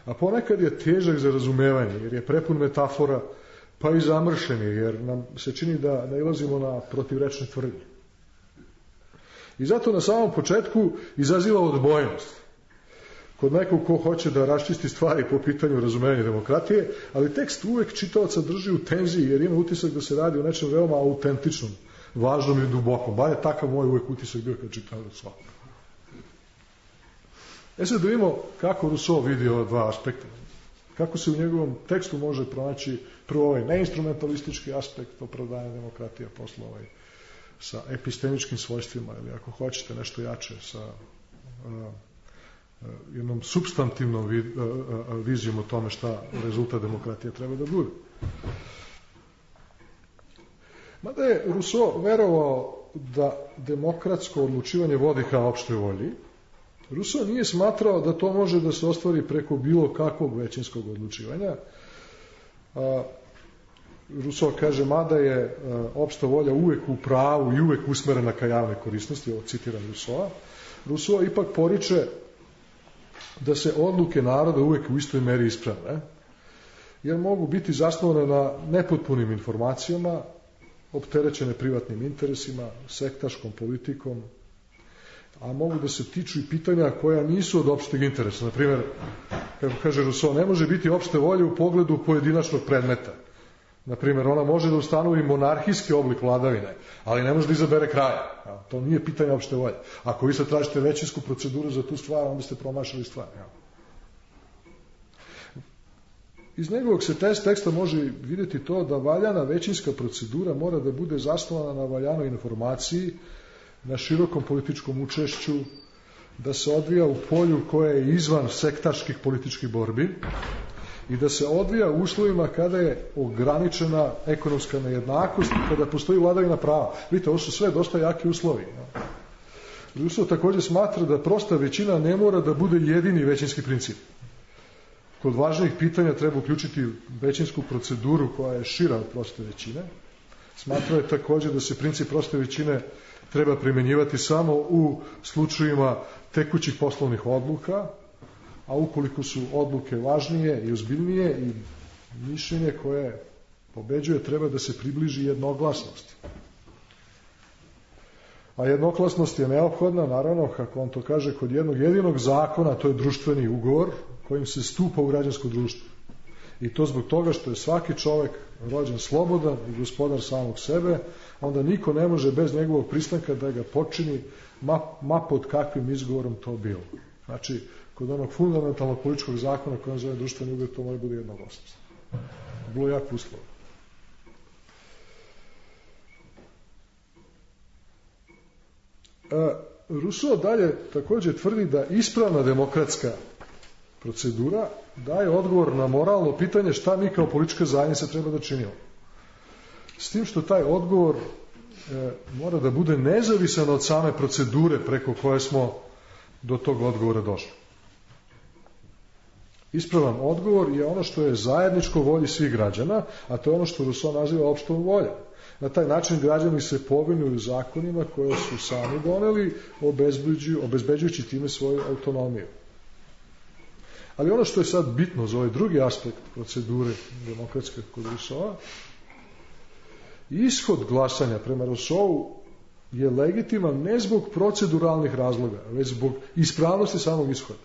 a ponekad je težak za razumevanje, jer je prepun metafora, pa i zamršen je, jer nam se čini da nailazimo na protivrečne tvrdnje. I zato na samom početku izaziva odbojnost kod nekog ko hoće da raščisti stvari po pitanju razumevanja demokratije, ali tekst uvek čitaoca drži u tenziji, jer ima utisak da se radi o nečem veoma autentičnom, važnom i dubokom. Bar je takav moj uvek utisak bio kad čitao Rousseau. Sad da vidimo kako Rousseau vidi ova dva aspekta. Kako se u njegovom tekstu može pronaći prvo ovaj neinstrumentalistički aspekt opravdanja demokratije, posle sa epistemičkim svojstvima, ili ako hoćete nešto jače, sa jednom substantivnom vizijom o tome šta rezultat demokratije treba da bude. Mada je Rousseau verovao da demokratsko odlučivanje vodi ka opštoj volji, Rousseau nije smatrao da to može da se ostvari preko bilo kakvog većinskog odlučivanja. Rousseau kaže, mada je opšta volja uvek u pravu i uvek usmerena ka javnoj korisnosti, ovo citiram Rousseau, Rousseau ipak poriče da se odluke naroda uvek u istoj meri isprave, jer mogu biti zasnovane na nepotpunim informacijama, opterećene privatnim interesima, sektaškom politikom, a mogu da se tiču i pitanja koja nisu od opšteg interesa. Naprimjer, kako kaže Rousseau, ne može biti opšte volje u pogledu pojedinačnog predmeta. Naprimjer, ona može da ustanovi monarhijski oblik vladavine, ali ne može da izabere kraja. To nije pitanje opšte volje. Ako vi sad tražite većinsku proceduru za tu stvar, onda ste promašali stvar. Iz njegovog se teksta može vidjeti to da valjana većinska procedura mora da bude zasnovana na valjanoj informaciji, na širokom političkom učešću, da se odvija u polju koje je izvan sektaških političkih borbi i da se odvija u uslovima kada je ograničena ekonomska nejednakost i kada postoji vladavina prava. Vidite, ovo su sve dosta jaki uslovi. Rousseau također smatra da prosta većina ne mora da bude jedini većinski princip. kod važnijih pitanja treba uključiti većinsku proceduru koja je šira od proste većine. Smatrao je također da se princip proste većine treba primjenjivati samo u slučajevima tekućih poslovnih odluka, a ukoliko su odluke važnije i ozbiljnije i mišljenje koje pobeđuje treba da se približi jednoglasnosti. A jednoglasnost je neophodna, naravno, kako on to kaže, kod jednog jedinog zakona, to je društveni ugovor kojim se stupa u građansko društvo. I to zbog toga što je svaki čovek rođen slobodan i gospodar samog sebe, onda niko ne može bez njegovog pristanka da ga počini ma pod kakvim izgovorom to bilo. Znači, kod onog fundamentalnog političkog zakona koji on zove društveni ugovor, to mora bude jednoglasnost. Bilo je jako uslovno. Rousseau dalje također tvrdi da ispravna demokratska procedura daje odgovor na moralno pitanje šta mi kao politička zajednica treba da činimo. S tim što taj odgovor mora da bude nezavisan od same procedure preko koje smo do tog odgovora došli. Ispravan odgovor je ono što je zajedničko volji svih građana, a to je ono što Rousseau naziva opštom voljom. Na taj način građani se povinuju zakonima koje su sami doneli, obezbeđujući time svoju autonomiju. Ali ono što je sad bitno za ovaj drugi aspekt procedure demokratske kod Rousseaua, ishod glasanja prema Rousseau je legitiman ne zbog proceduralnih razloga, već zbog ispravnosti samog ishoda.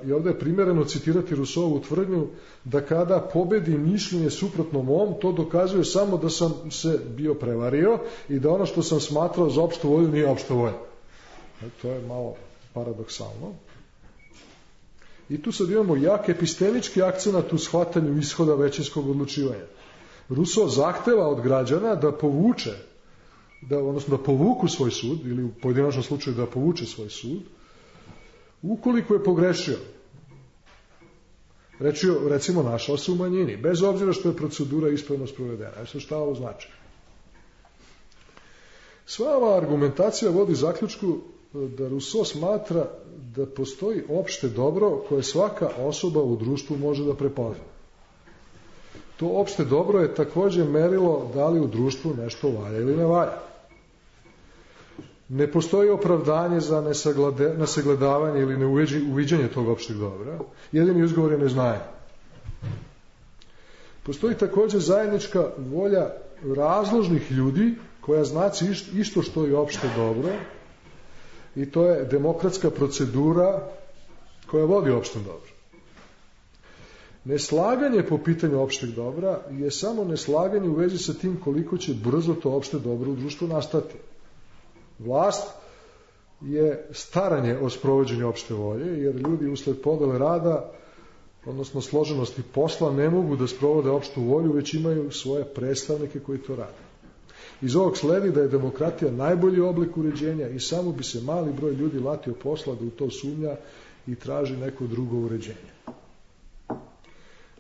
I ovdje je primjereno citirati Rousseauovu tvrdnju da kada pobedi mišljenje suprotno mom, to dokazuje samo da sam se bio prevario i da ono što sam smatrao za opštu volju nije opšta volja. To je malo paradoksalno. I tu sad imamo jak epistemički akcenat u shvatanju ishoda većinskog odlučivanja. Rousseau zahteva od građana da povuku svoj sud, ili u pojedinačnom slučaju da povuče svoj sud, ukoliko je pogrešio. Recimo, našao se u manjini, bez obzira što je procedura ispravno sprovedena. Evo šta ovo znači? Sva ova argumentacija vodi zaključku da Rousseau smatra da postoji opšte dobro koje svaka osoba u društvu može da prepozna. To opšte dobro je također merilo da li u društvu nešto valja ili ne valja. Ne postoji opravdanje za nesagledavanje ili neuviđanje tog opšteg dobra. Jedini izgovor je neznanje. Postoji također zajednička volja razložnih ljudi koja znači isto što je opšte dobro, i to je demokratska procedura koja vodi opštem dobro. Neslaganje po pitanju opšteg dobra je samo neslaganje u vezi sa tim koliko će brzo to opšte dobro u društvu nastati. Vlast je staranje o sprovođenju opšte volje, jer ljudi usled podele rada, odnosno složenosti posla, ne mogu da sprovode opštu volju, već imaju svoje predstavnike koji to rade. Iz ovog sledi da je demokratija najbolji oblik uređenja i samo bi se mali broj ljudi latio posla da u to sumnja i traži neko drugo uređenje.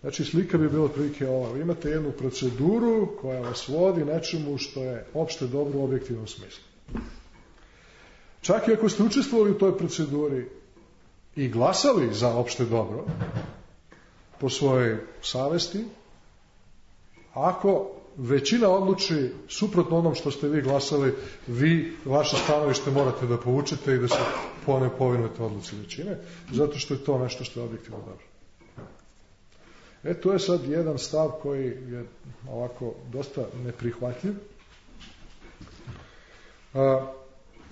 Znači, slika bi bila otprilike ova. Vi imate jednu proceduru koja vas vodi nečemu što je opšte dobro u objektivnom smislu. Čak i ako ste učestvovali u toj proceduri i glasali za opšte dobro po svojoj savesti, ako većina odluči suprotno onom što ste vi glasali, vi vaše stanovište morate da povučete i da se povinujete odluci većine, zato što je to nešto što je objektivno dobro. To je sad jedan stav koji je ovako dosta neprihvatljiv.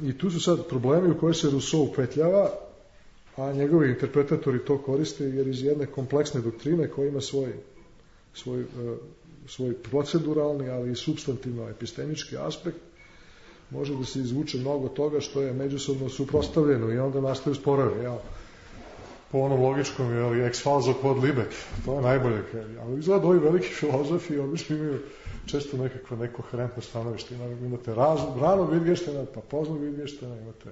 I tu su sad problemi u koje se Rousseau upetljava, a njegovi interpretatori to koriste jer iz jedne kompleksne doktrine koja ima svoj proceduralni, ali i supstantivno epistemički aspekt, može da se izvuče mnogo toga što je međusobno suprotstavljeno i onda nastaju sporovi. Po onom logičkom, ex falso quod libet, to je najbolje. Ali izgleda ovi veliki filozofi, obično imaju često neko koherentno stanovište. Imate ranog Wittgensteina, pa poznog Wittgensteina, imate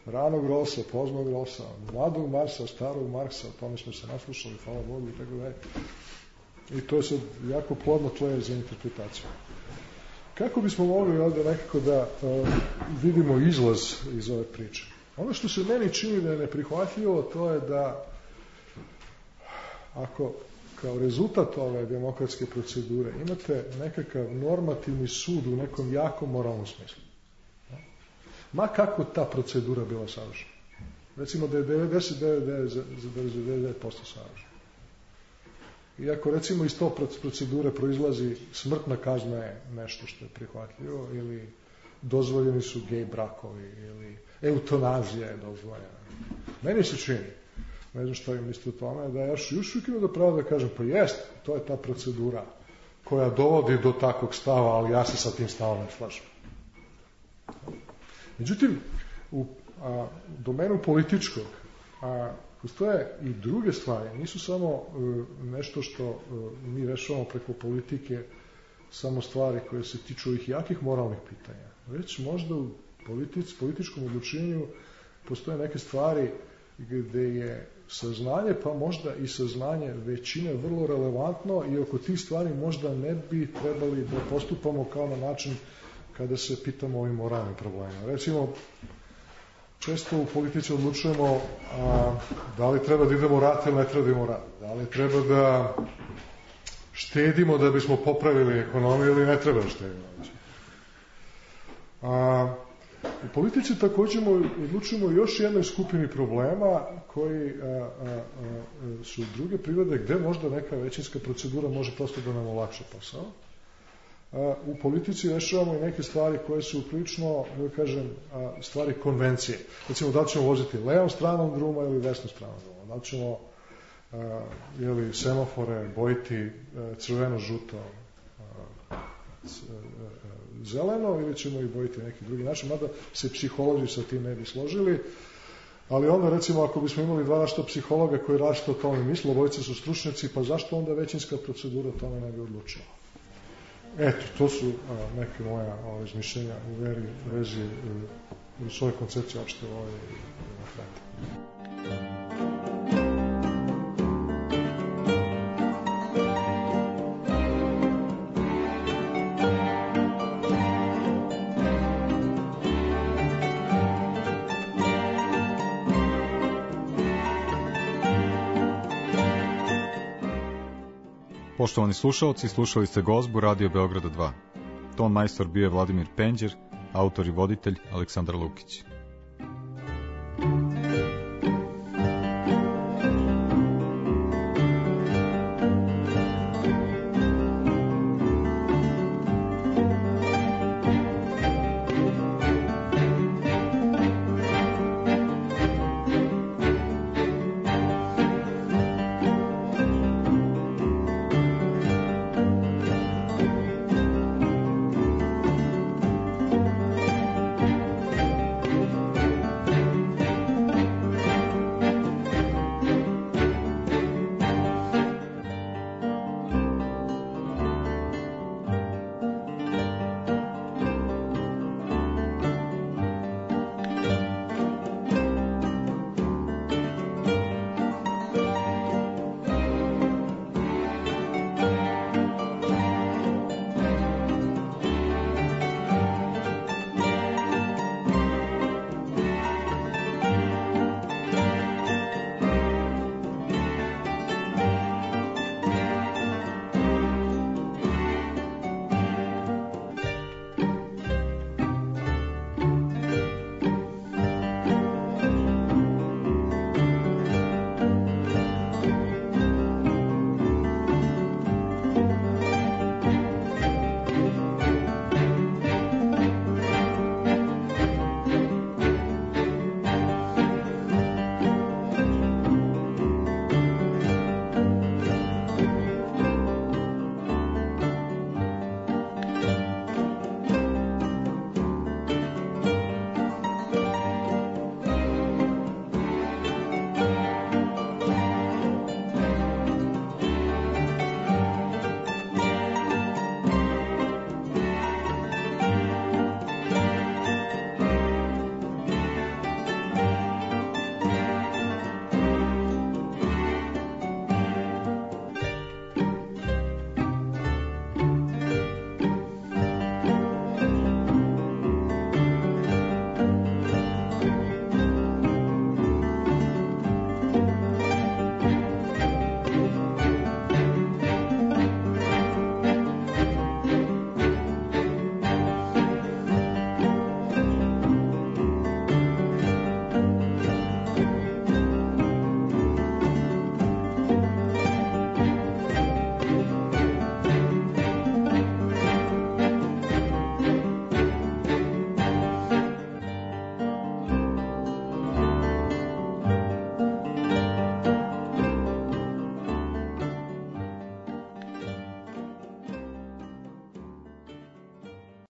ranog Rossa, poznog Rossa, mladog Marsa, starog Marksa, o tome smo se naslušali, hvala Bogu, i tako dalje. I to je sad jako plodno tlo za interpretaciju. Kako bismo mogli ovdje nekako da vidimo izlaz iz ove priče? Ono što se meni čini da je neprihvatljivo, to je da ako kao rezultat ove demokratske procedure imate nekakav normativni sud u nekom jakom moralnom smislu, ma kako ta procedura bila savršena, recimo da je 99% savršena, i ako recimo iz to procedure proizlazi smrtna kazna je nešto što je prihvatljivo, ili dozvoljeni su gej brakovi, ili eutanazija je dozvoljena, meni se čini, ne znam što im mislite o tome, da ja još uvijek imam da pravo da kažem, pa jest, to je ta procedura koja dovodi do takvog stava, ali ja se sa tim stavom ne slažem. Međutim, u domenu političkog postoje i druge stvari, nisu samo nešto što mi rešavamo preko politike, samo stvari koje se tiču ovih jakih moralnih pitanja, već možda u političkom odlučenju postoje neke stvari gde je saznanje, pa možda i saznanje većine vrlo relevantno, i oko tih stvari možda ne bi trebali da postupamo kao na način kada se pitamo o ovim moralnim problemima. Recimo, često u politici odlučujemo da li treba da idemo u rat ili ne treba da idemo u rat, da li treba da štedimo da bismo popravili ekonomiju ili ne treba da štedimo. U politici također odlučujemo još jednoj skupini problema koji su druge prirode, gde možda neka većinska procedura može prosto da nam olakša posao. U politici rešavamo i neke stvari koje su prilično, da kažem, stvari konvencije. Recimo, da li ćemo voziti levom stranom druma ili desnom stranom druma, da li ćemo semafore bojiti crveno, žuto, zeleno, ili ćemo ih bojiti na neki drugi način, mada se psiholozi sa tim ne bi složili, ali onda recimo ako bismo imali dva različita psihologa koji različito o tome misle, obojice su stručnjaci, pa zašto onda većinska procedura o tome ne bi odlučila? Eto, to su neke moja razmišljenja u vezi u svojoj koncepciji opšte u ovoj demokratiji. Poštovani slušalci, slušali ste Gozbu Radio Beograda 2. Ton majstor bio je Vladimir Penđer, autor i voditelj Aleksandar Lukić.